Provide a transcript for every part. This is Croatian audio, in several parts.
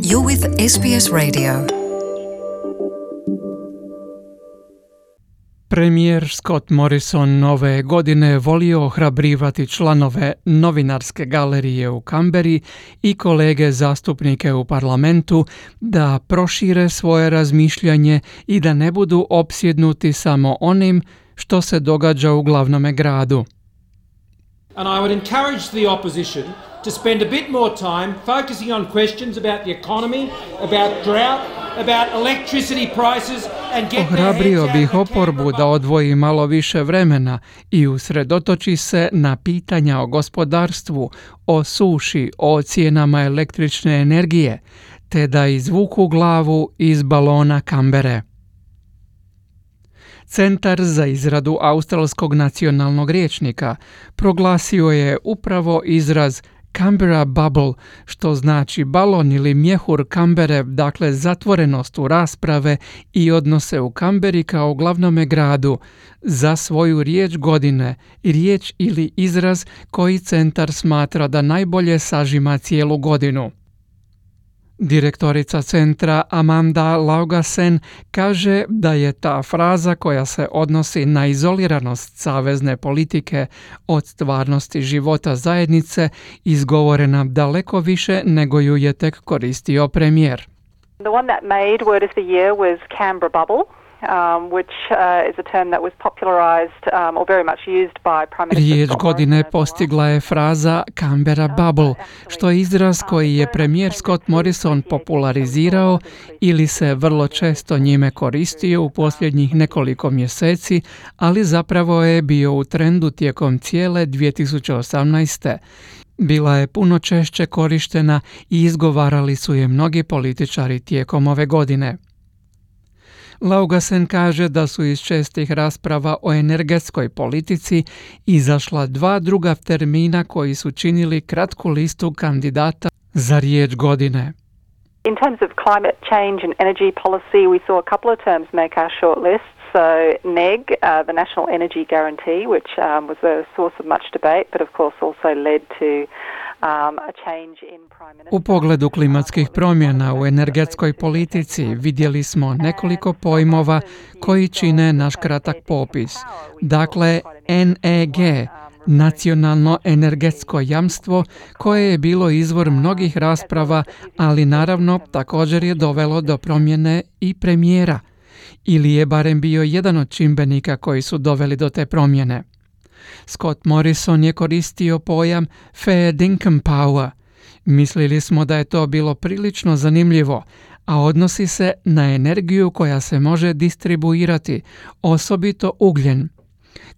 You're with SBS Radio. Premijer Scott Morrison ove godine volio ohrabrivati članove novinarske galerije u Kamberi i kolege zastupnike u parlamentu da prošire svoje razmišljanje i da ne budu opsjednuti samo onim što se događa u glavnome gradu. And I would encourage the opposition to spend a bit more time focusing on questions about the economy, about drought, about electricity prices and get Ohrabrio bih oporbu da odvoji malo više vremena i usredotoči se na pitanja o gospodarstvu, o suši, o cijenama električne energije, te da izvuku glavu iz balona Kambere. Centar za izradu australskog nacionalnog rječnika proglasio je upravo izraz Canberra bubble, što znači balon ili mjehur Kambere, dakle zatvorenost u rasprave i odnose u Kamberi kao glavnome gradu, za svoju riječ godine, riječ ili izraz koji centar smatra da najbolje sažima cijelu godinu. Direktorica centra Amanda Laugasen kaže da je ta fraza koja se odnosi na izoliranost savezne politike od stvarnosti života zajednice izgovorena daleko više nego ju je tek koristio premijer. The one that made word of the year was Canberra bubble. Which is a term that was popularized or very much used by Prime Minister. Riječ godine postigla je fraza Canberra bubble, što je izraz koji je premijer Scott Morrison popularizirao ili se vrlo često njime koristio u posljednjih nekoliko mjeseci, ali zapravo je bio u trendu tijekom cijele 2018. Bila je puno češće korištena i izgovarali su je mnogi političari tijekom ove godine. Laugasen kaže da su iz čestih rasprava o energetskoj politici izašla dva druga termina koji su činili kratku listu kandidata za riječ godine. In terms of climate change and energy policy, we saw a couple of terms make our short list. So NEG, the National Energy Guarantee, which was a source of much debate, but of course also led to a change in Prime Minister. U pogledu klimatskih promjena u energetskoj politici vidjeli smo nekoliko pojmova koji čine naš kratak popis. Dakle, NEG, Nacionalno energetsko jamstvo, koje je bilo izvor mnogih rasprava, ali naravno također je dovelo do promjene i premijera, ili je barem bio jedan od čimbenika koji su doveli do te promjene. Scott Morrison je koristio pojam fair dinkum power. Mislili smo da je to bilo prilično zanimljivo, a odnosi se na energiju koja se može distribuirati, osobito ugljen,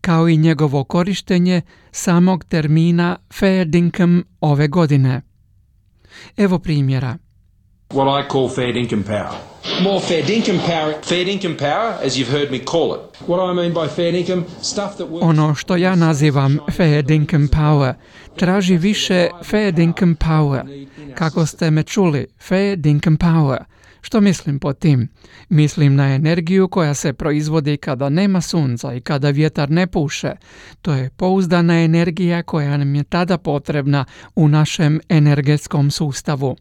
kao i njegovo korištenje samog termina fair dinkum ove godine. Evo primjera. What I call fair dinkum power. More fair dinkum power. Fair dinkum power, as you've heard me call it. What I mean by fair dinkum, stuff that works. Ono što ja nazivam fair dinkum power traži više fair dinkum power. Kako ste me čuli, fair dinkum power. Što mislim pod tim? Mislim na energiju koja se proizvodi kada nema sunca i kada vjetar ne puše. To je pouzdana energija koja nam je tada potrebna u našem energetskom sustavu.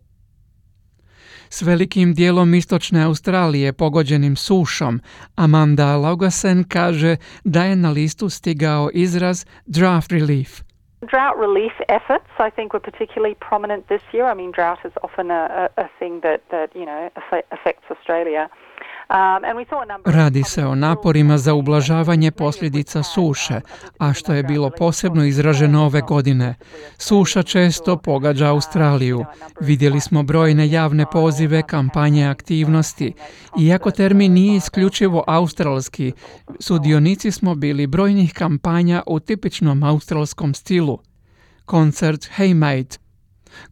S velikim dijelom istočne Australije pogođenim sušom, Amanda Laugasen kaže da je na listu stigao izraz drought relief. Drought relief efforts, I think, were particularly prominent this year. I mean, drought is often a thing that affects Australia. Radi se o naporima za ublažavanje posljedica suše, a što je bilo posebno izraženo ove godine. Suša često pogađa Australiju. Vidjeli smo brojne javne pozive, kampanje aktivnosti. Iako termin nije isključivo australski, sudionici smo bili brojnih kampanja u tipičnom australskom stilu. Koncert Hey Mate,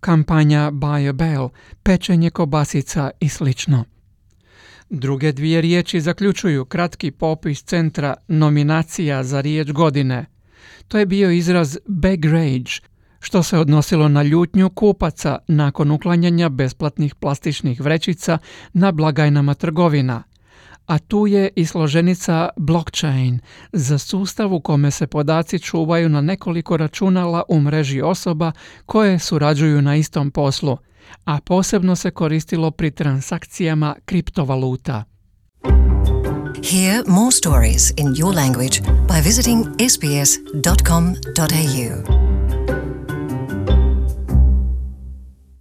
kampanja Buy a Bell, pečenje kobasica i slično. Druge dvije riječi zaključuju kratki popis centra nominacija za riječ godine. To je bio izraz bag rage, što se odnosilo na ljutnju kupaca nakon uklanjanja besplatnih plastičnih vrećica na blagajnama trgovina. A tu je i složenica blockchain za sustav u kome se podaci čuvaju na nekoliko računala u mreži osoba koje surađuju na istom poslu. a posebno se koristilo pri transakcijama kriptovaluta. Hear more stories in your language by visiting sbs.com.au.